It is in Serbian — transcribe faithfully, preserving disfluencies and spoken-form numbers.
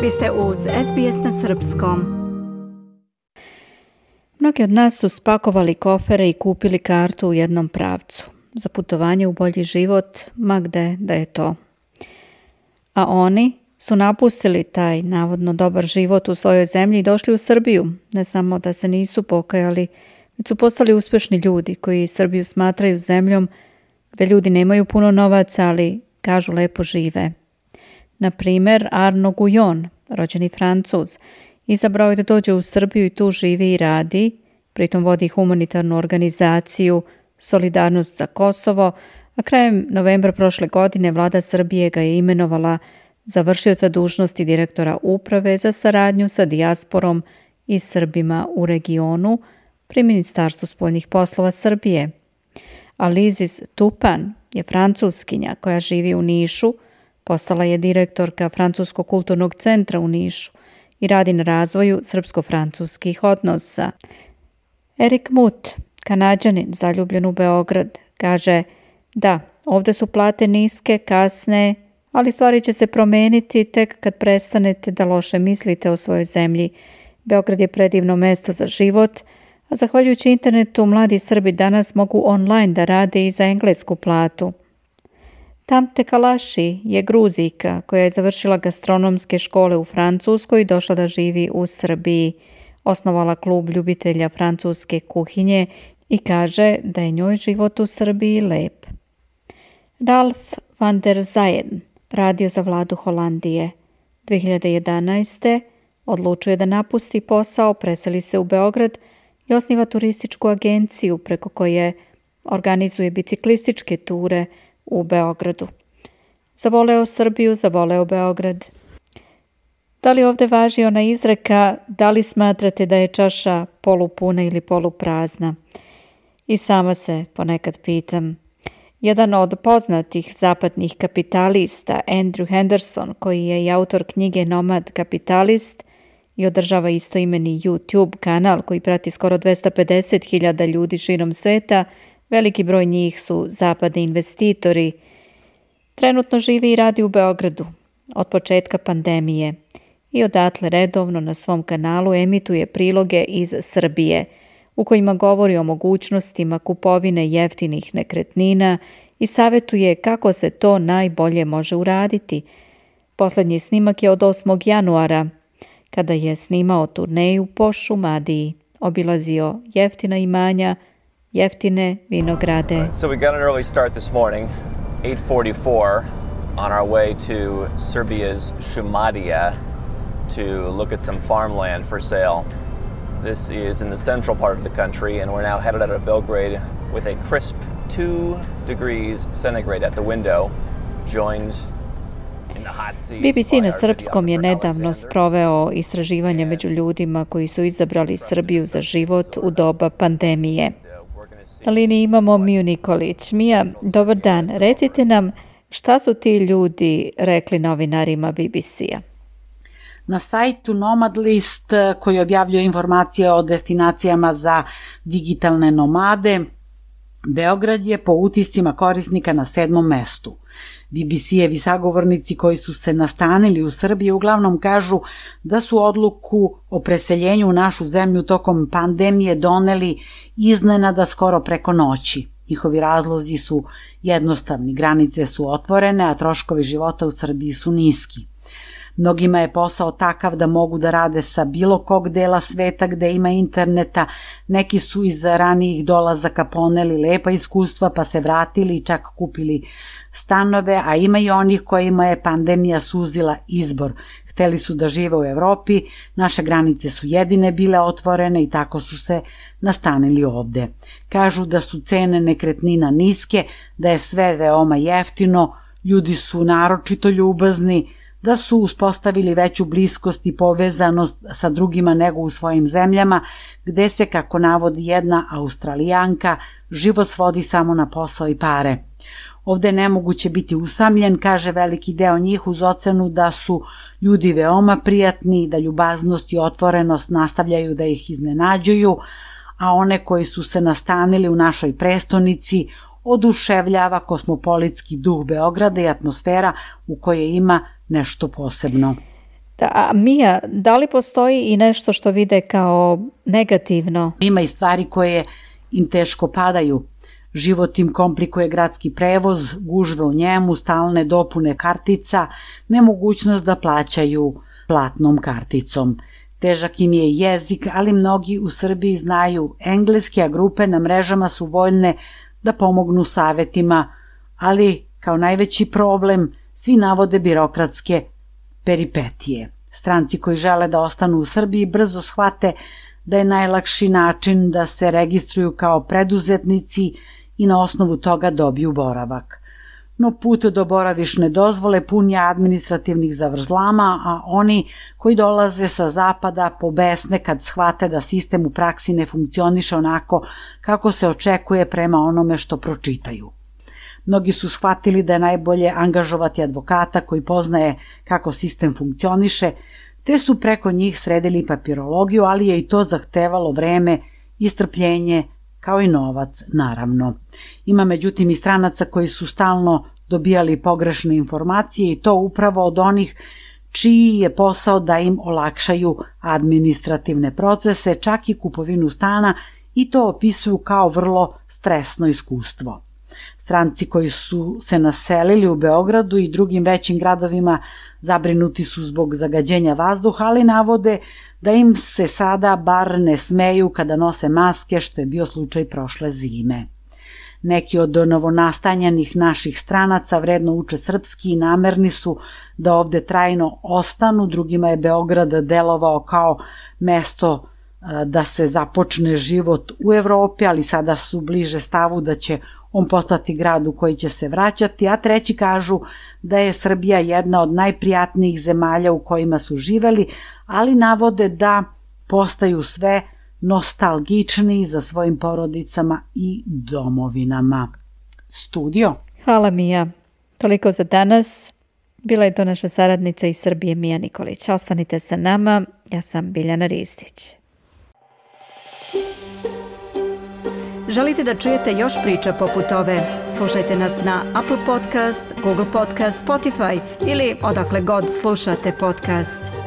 Vi ste uz S B S na srpskom. Mnogi od nas su spakovali kofere i kupili kartu u jednom pravcu. Za putovanje u bolji život, ma gde da je to. A oni su napustili taj navodno dobar život u svojoj zemlji i došli u Srbiju. Ne samo da se nisu pokajali, već su postali uspješni ljudi koji Srbiju smatraju zemljom gde ljudi nemaju puno novaca, ali kažu lepo žive. Na primjer, Arno Gujon, rođeni Francuz, izabrao je da dođe u Srbiju i tu živi i radi, pritom vodi humanitarnu organizaciju Solidarnost za Kosovo, a krajem novembra prošle godine vlada Srbije ga je imenovala za vršioca dužnosti direktora uprave za saradnju sa dijasporom i Srbima u regionu pri Ministarstvu spoljnih poslova Srbije. Alizis Tupan je francuskinja koja živi u Nišu, postala je direktorka Francuskog kulturnog centra u Nišu i radi na razvoju srpsko-francuskih odnosa. Erik Mut, Kanađanin zaljubljen u Beograd, kaže da, ovdje su plate niske, kasne, ali stvari će se promeniti tek kad prestanete da loše mislite o svojoj zemlji. Beograd je predivno mesto za život, a zahvaljujući internetu mladi Srbi danas mogu online da rade i za englesku platu. Tamte Kalaši je Gruzijka koja je završila gastronomske škole u Francuskoj i došla da živi u Srbiji. Osnovala klub ljubitelja francuske kuhinje i kaže da je njoj život u Srbiji lep. Ralf van der Zayen radio za vladu Holandije. dve hiljade jedanaeste. odlučuje da napusti posao, preseli se u Beograd i osniva turističku agenciju preko koje organizuje biciklističke ture u Beogradu. Zavoleo Srbiju, zavoleo Beograd. Da li ovdje važi ona izreka, da li smatrate da je čaša polupuna ili poluprazna? I sama se ponekad pitam. Jedan od poznatih zapadnih kapitalista, Andrew Henderson, koji je i autor knjige Nomad kapitalist i održava istoimeni YouTube kanal koji prati skoro dvesta pedeset hiljada ljudi širom sveta, veliki broj njih su zapadni investitori. Trenutno živi i radi u Beogradu od početka pandemije i odatle redovno na svom kanalu emituje priloge iz Srbije u kojima govori o mogućnostima kupovine jeftinih nekretnina i savjetuje kako se to najbolje može uraditi. Posljednji snimak je od osmog januara, kada je snimao turneju po Šumadiji, obilazio jeftina imanja, jeftine vinograde. So we got an early start this morning, eight forty-four, on our way to Serbia's Šumadija to look at some farmland for sale. This is in the central part of the country, and we're now headed out of Belgrade with a crisp two degrees centigrade at the window, joined in the hot seas. B B C na srpskom je nedavno sproveo istraživanje među ljudima koji su izabrali Srbiju za život u doba pandemije. Na liniji imamo Miju Nikolić. Mija, dobar dan. Recite nam šta su ti ljudi rekli novinarima B B C-a? Na sajtu Nomad List, koji objavljuje informacije o destinacijama za digitalne nomade, Beograd je po utiscima korisnika na sedmom mestu. B B C-evi sagovornici koji su se nastanili u Srbiji uglavnom kažu da su odluku o preseljenju u našu zemlju tokom pandemije doneli iznenada skoro preko noći. Njihovi razlozi su jednostavni, granice su otvorene, a troškovi života u Srbiji su niski. Mnogima je posao takav da mogu da rade sa bilo kog dela sveta gde ima interneta, neki su iz ranijih dolazaka poneli lepa iskustva pa se vratili i čak kupili stanove, a ima i onih kojima je pandemija suzila izbor. Hteli su da žive u Evropi, naše granice su jedine bile otvorene i tako su se nastanili ovde. Kažu da su cene nekretnina niske, da je sve veoma jeftino, ljudi su naročito ljubazni, da su uspostavili veću bliskost i povezanost sa drugima nego u svojim zemljama, gde se, kako navodi jedna Australijanka, život svodi samo na posao i pare. Ovde je nemoguće biti usamljen, kaže veliki deo njih, uz ocenu da su ljudi veoma prijatni, da ljubaznost i otvorenost nastavljaju da ih iznenađuju, a one koji su se nastanili u našoj prestonici oduševljava kosmopolitski duh Beograda i atmosfera u kojoj ima nešto posebno. Da, a Mija, da li postoji i nešto što vide kao negativno? Ima i stvari koje im teško padaju. Život im komplikuje gradski prevoz, gužve u njemu, stalne dopune kartica, nemogućnost da plaćaju platnom karticom. Težak im je jezik, ali mnogi u Srbiji znaju engleski, a grupe na mrežama su voljne da pomognu savetima, ali kao najveći problem svi navode birokratske peripetije. Stranci koji žele da ostanu u Srbiji brzo shvate da je najlakši način da se registruju kao preduzetnici i na osnovu toga dobiju boravak. No put do boravišne dozvole pun je administrativnih zavrzlama, a oni koji dolaze sa zapada pobesne kad shvate da sistem u praksi ne funkcioniše onako kako se očekuje prema onome što pročitaju. Mnogi su shvatili da je najbolje angažovati advokata koji poznaje kako sistem funkcioniše, te su preko njih sredili papirologiju, ali je i to zahtevalo vreme i strpljenje, kao i novac, naravno. Ima međutim i stranaca koji su stalno dobijali pogrešne informacije i to upravo od onih čiji je posao da im olakšaju administrativne procese, čak i kupovinu stana, i to opisuju kao vrlo stresno iskustvo. Stranci koji su se naselili u Beogradu i drugim većim gradovima zabrinuti su zbog zagađenja vazduha, ali navode da im se sada bar ne smeju kada nose maske, što je bio slučaj prošle zime. Neki od novonastanjanih naših stranaca vredno uče srpski i namerni su da ovde trajno ostanu, drugima je Beograd delovao kao mesto da se započne život u Evropi, ali sada su bliže stavu da će on postati grad u koji će se vraćati, a treći kažu da je Srbija jedna od najprijatnijih zemalja u kojima su živeli, ali navode da postaju sve nostalgičniji za svojim porodicama i domovinama. Studio. Hvala Mija. Toliko za danas. Bila je to naša saradnica iz Srbije Mija Nikolić. Ostanite sa nama. Ja sam Biljana Ristić. Želite da čujete još priča poput ove? Slušajte nas na Apple Podcast, Google Podcast, Spotify ili odakle god slušate podcast.